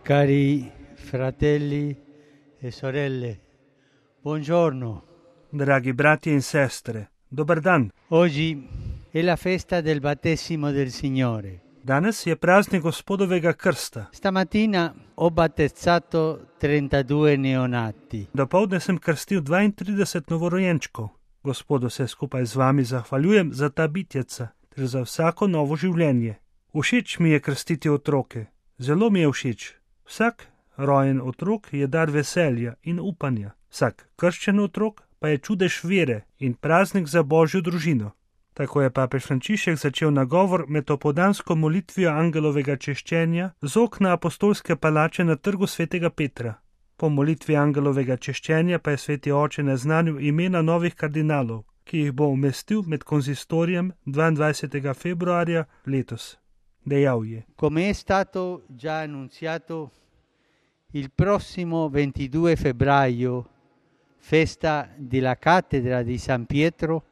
Cari fratelli e sorelle, buongiorno. Dragi bratje in sestre, dober dan. Oggi è la festa del battesimo del Signore. Danes je praznik Gospodovega krsta. Stamattina ho battezzato 32 neonati. Dopoldne sem krstil 32 novorojenčkov. Gospodu se skupaj z vami zahvaljujem za ta bitjeca ter za vsako novo življenje. Všeč mi je krstiti otroke. Zelo mi je všeč. Vsak rojen otrok je dar veselja in upanja. Vsak krščen otrok pa je čudež vere in praznik za Božjo družino. Tako je papež Frančišek začel nagovor med opoldansko molitvijo angelovega češčenja z okna apostolske palače na trgu svetega Petra. Po molitvi angelovega češčenja pa je sveti oče naznanil imena novih kardinalov, ki jih bo umestil med konzistorijem 22. februarja letos. Dejal je: Come è stato già annunziato, il prossimo 22 febbraio, festa della cattedra di San Pietro,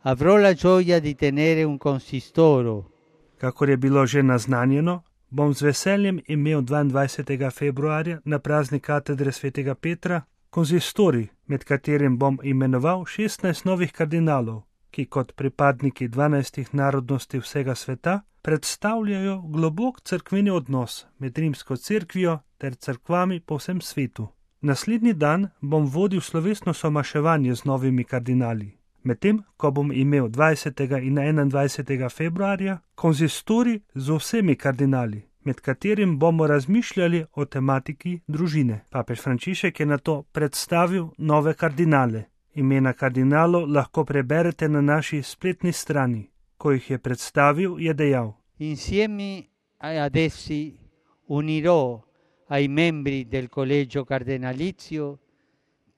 avrò la gioia di tenere un consistoro. Kakor je bilo že naznanjeno, bom z veseljem imel 22. februarja na praznik katedre svetega Petra konzistorij, med katerim bom imenoval 16 novih kardinalov, ki kot pripadniki 12 narodnosti vsega sveta predstavljajo globok cerkveni odnos med rimsko cerkvijo ter cerkvami po vsem svetu. Naslednji dan bom vodil slovesno somaševanje z novimi kardinali. Medtem, ko bom imel 20. in 21. februarja konzistorij z vsemi kardinali, med katerim bomo razmišljali o tematiki družine. Papež Frančišek je nato predstavil nove kardinale. Imena kardinalov lahko preberete na naši spletni strani. Ko jih je predstavil, je dejal: Insieme ad essi unirò ai membri del collegio cardinalizio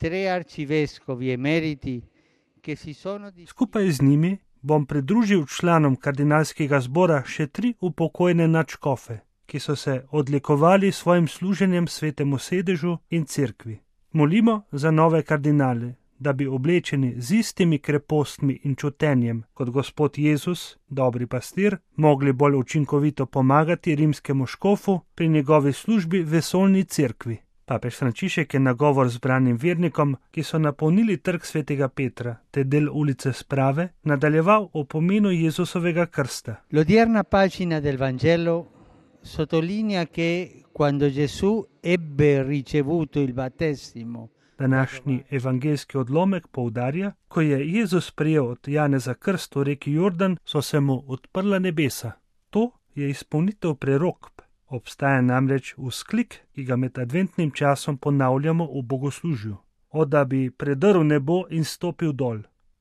3 arcivescovi emeriti che si sono Skupaj z njimi bom pridružil članom kardinalskega zbora še 3 upokojene nadškofe, ki so se odlikovali s svojim služenjem svetemu sedežu in cerkvi. Molimo za nove kardinale, da bi oblečeni z istimi krepostmi in čutenjem kot Gospod Jezus, dobri pastir, mogli bolj učinkovito pomagati rimskemu škofu pri njegovi službi vesoljni cerkvi. Papež Frančišek je nagovor zbranim vernikom, ki so napolnili trg svetega Petra te del ulice Sprave, nadaljeval o pomenu Jezusovega krsta. L'odierna pagina del Vangelo sottolinea che quando Gesù ebbe ricevuto il battesimo. Današnji evangeljski odlomek poudarja, ko je Jezus prejel od Janeza krst v reki Jordan, so se mu odprla nebesa. To je izpolnitev prerokb. Obstaja namreč vzklik, ki ga med adventnim časom ponavljamo v bogoslužju. O, da bi predrl nebo in stopil dol.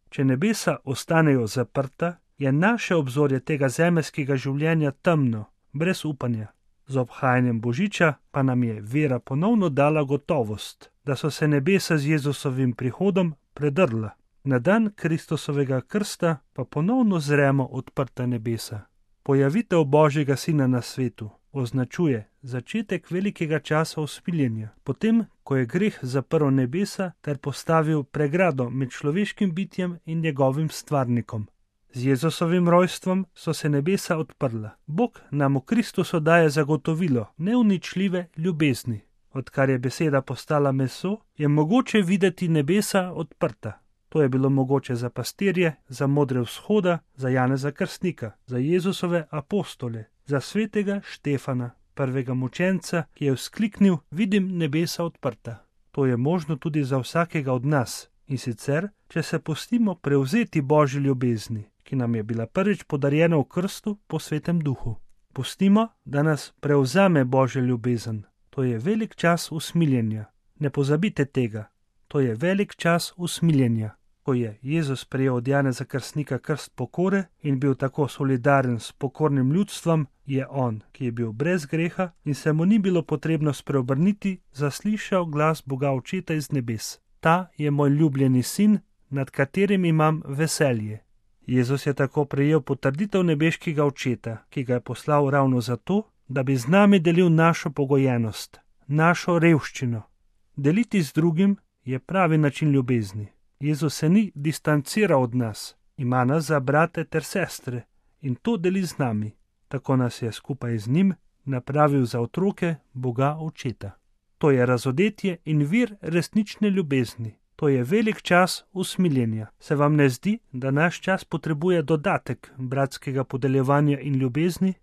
Če nebesa ostanejo zaprta, je naše obzorje tega zemeljskega življenja temno, brez upanja. Z obhajanjem Božiča pa nam je vera ponovno dala gotovost, da so se nebesa z Jezusovim prihodom predrla. Na dan Kristusovega krsta pa ponovno zremo odprta nebesa. Pojavitev Božjega Sina na svetu označuje začetek velikega časa usmiljenja, potem, ko je greh zaprl nebesa ter postavil pregrado med človeškim bitjem in njegovim stvarnikom. Z Jezusovim rojstvom so se nebesa odprla. Bog nam v Kristusu daje zagotovilo neuničljive ljubezni. Odkar je beseda postala meso, je mogoče videti nebesa odprta. To je bilo mogoče za pastirje, za modre vzhoda, za Janeza Krstnika, za Jezusove apostole, za svetega Štefana, prvega mučenca, ki je vzkliknil: vidim nebesa odprta. To je možno tudi za vsakega od nas, in sicer, če se pustimo prevzeti Božji ljubezni, ki nam je bila prvič podarjena v krstu po Svetem Duhu. Pustimo, da nas prevzame Božja ljubezen. To je velik čas usmiljenja. Ne pozabite tega. To je velik čas usmiljenja. Ko je Jezus prejel od Janeza Krstnika krst pokore in bil tako solidaren s pokornim ljudstvom, je on, ki je bil brez greha in se mu ni bilo potrebno spreobrniti, zaslišal glas Boga Očeta iz nebes. Ta je moj ljubljeni sin, nad katerim imam veselje. Jezus je tako prejel potrditev nebeškega Očeta, ki ga je poslal ravno zato, da bi z nami delil našo pogojenost, našo revščino. Deliti z drugim je pravi način ljubezni. Jezus se ni distanciral od nas, ima nas za brate ter sestre in to deli z nami. Tako nas je skupaj z njim napravil za otroke Boga Očeta. To je razodetje in vir resnične ljubezni. To je velik čas usmiljenja. Se vam ne zdi, da naš čas potrebuje dodatek bratskega podeljevanja in ljubezni?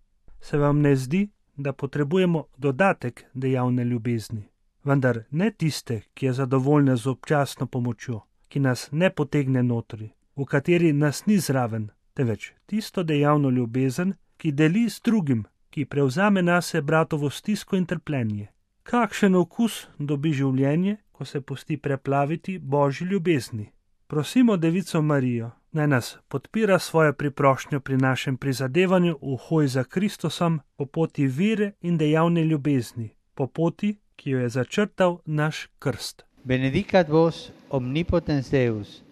Se vam ne zdi, da potrebujemo dodatek dejavne ljubezni? Vendar ne tiste, ki je zadovoljna z občasno pomočjo, ki nas ne potegne notri, v kateri nas ni zraven, temveč tisto dejavno ljubezen, ki deli z drugim, ki prevzame nase bratovo stisko in trpljenje. Kakšen okus dobi življenje, ko se pusti preplaviti Božji ljubezni. Prosimo Devico Marijo, naj nas podpira svojo priprošnjo pri našem prizadevanju v hoji za Kristusom po poti vere in dejavne ljubezni, po poti, ki jo je začrtal naš krst. Benedicat vos omnipotens Deus,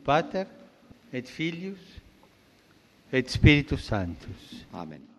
Pater et Filius et Spiritus Sanctus. Amen.